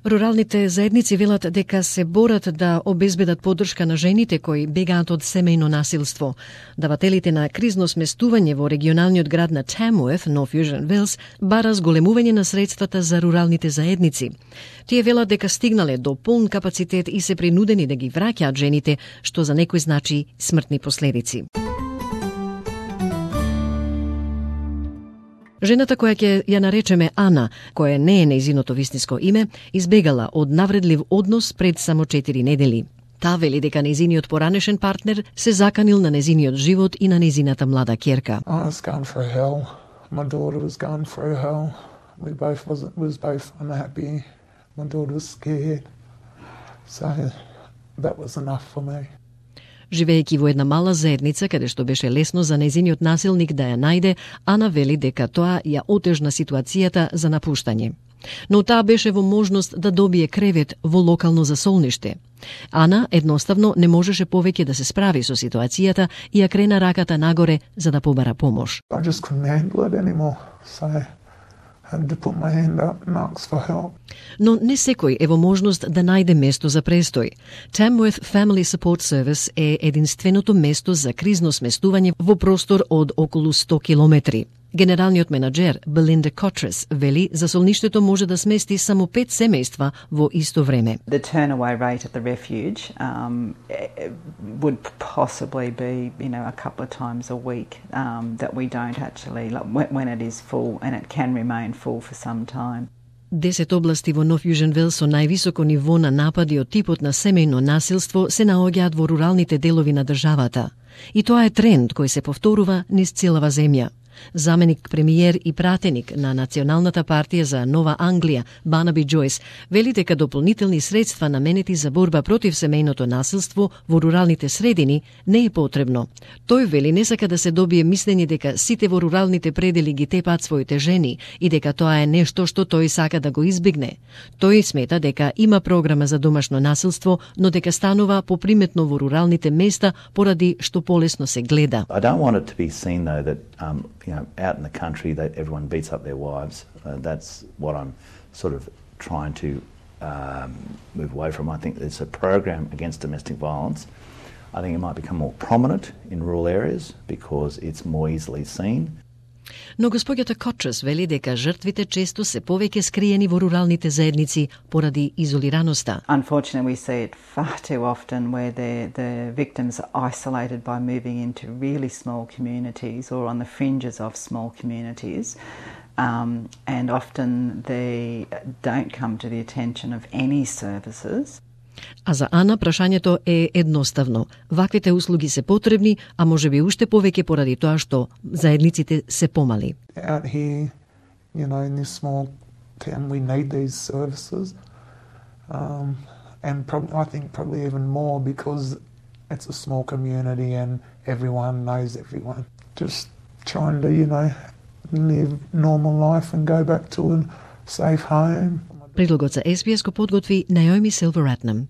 Руралните заедници велат дека се борат да обезбедат поддршка на жените кои бегаат од семејно насилство. Давателите на кризно сместување во регионалниот град на Tamworth, North Fusion Wells, бара зголемување на средствата за руралните заедници. Тие велат дека стигнале до полн капацитет и се принудени да ги враќаат жените, што за некои значи смртни последици. Жената која ќе ја наречеме Ана, која не е нејзиното вистинско име, избегала од навредлив однос пред само 4 недели. Таа вели дека нејзиниот поранешен партнер се заканил на нејзиниот живот и на нејзината млада ќерка. I was going through hell. My daughter was going through hell. We both was both unhappy. My daughter was scared. So that was enough for me. Живеејќи во една мала заедница, каде што беше лесно за нејзиниот насилник да ја најде, Ана вели дека тоа ја отежна ситуацијата за напуштање. Но таа беше во можност да добие кревет во локално засолниште. Ана едноставно не можеше повеќе да се справи со ситуацијата и ја крена раката нагоре за да побара помош. I just couldn't handle it anymore. So had to put my hand up and ask for help. Но не секој е во можност да најде место за престој. Tamworth Family Support Service е единственото место за кризно сместување во простор од околу 100 километри. Генералниот менаџер Belinda Cottress вели засолништето може да смести само 5 семејства во исто време. The turn-away rate at the refuge would possibly be, a couple of times a week that we don't actually, when it is full, and it can remain full for some time. 10 области во North Fusion Wells со највисоко ниво на напади од типот на семејно насилство се наоѓаат во руралните делови на државата. И тоа е тренд кој се повторува низ целава земја. Заменик премиер и пратеник на Националната партија за Нова Англија, Барнаби Джойс, вели дека дополнителни средства наменети за борба против семејното насилство во руралните средини не е потребно. Тој вели не сака да се добие мислење дека сите во руралните предели ги тепаат своите жени и дека тоа е нешто што тој сака да го избегне. Тој смета дека има програма за домашно насилство, но дека станува поприметно во руралните места поради што полесно се гледа. I don't want it to be seen though that out in the country that everyone beats up their wives. That's what I'm sort of trying to move away from. I think there's a program against domestic violence. I think it might become more prominent in rural areas because it's more easily seen. Но господјата Котрес вели дека жртвите често се повеќе скриени во руралните заедници поради изолираноста. Unfortunately, we see it far too often where the victims are isolated by moving into really small communities or on the fringes of small communities. And often they don't come to the attention of any services. А за Ана прашањето е едноставно. Ваквите услуги се потребни, а можеби уште повеќе поради тоа што заедниците се помали. Out here, in this small town, we need these services. And I think probably even more because it's a small community and everyone knows everyone. Just trying to, live normal life and go back to a safe home. Прилогот за SBS го подготви Наоми Силвератнам.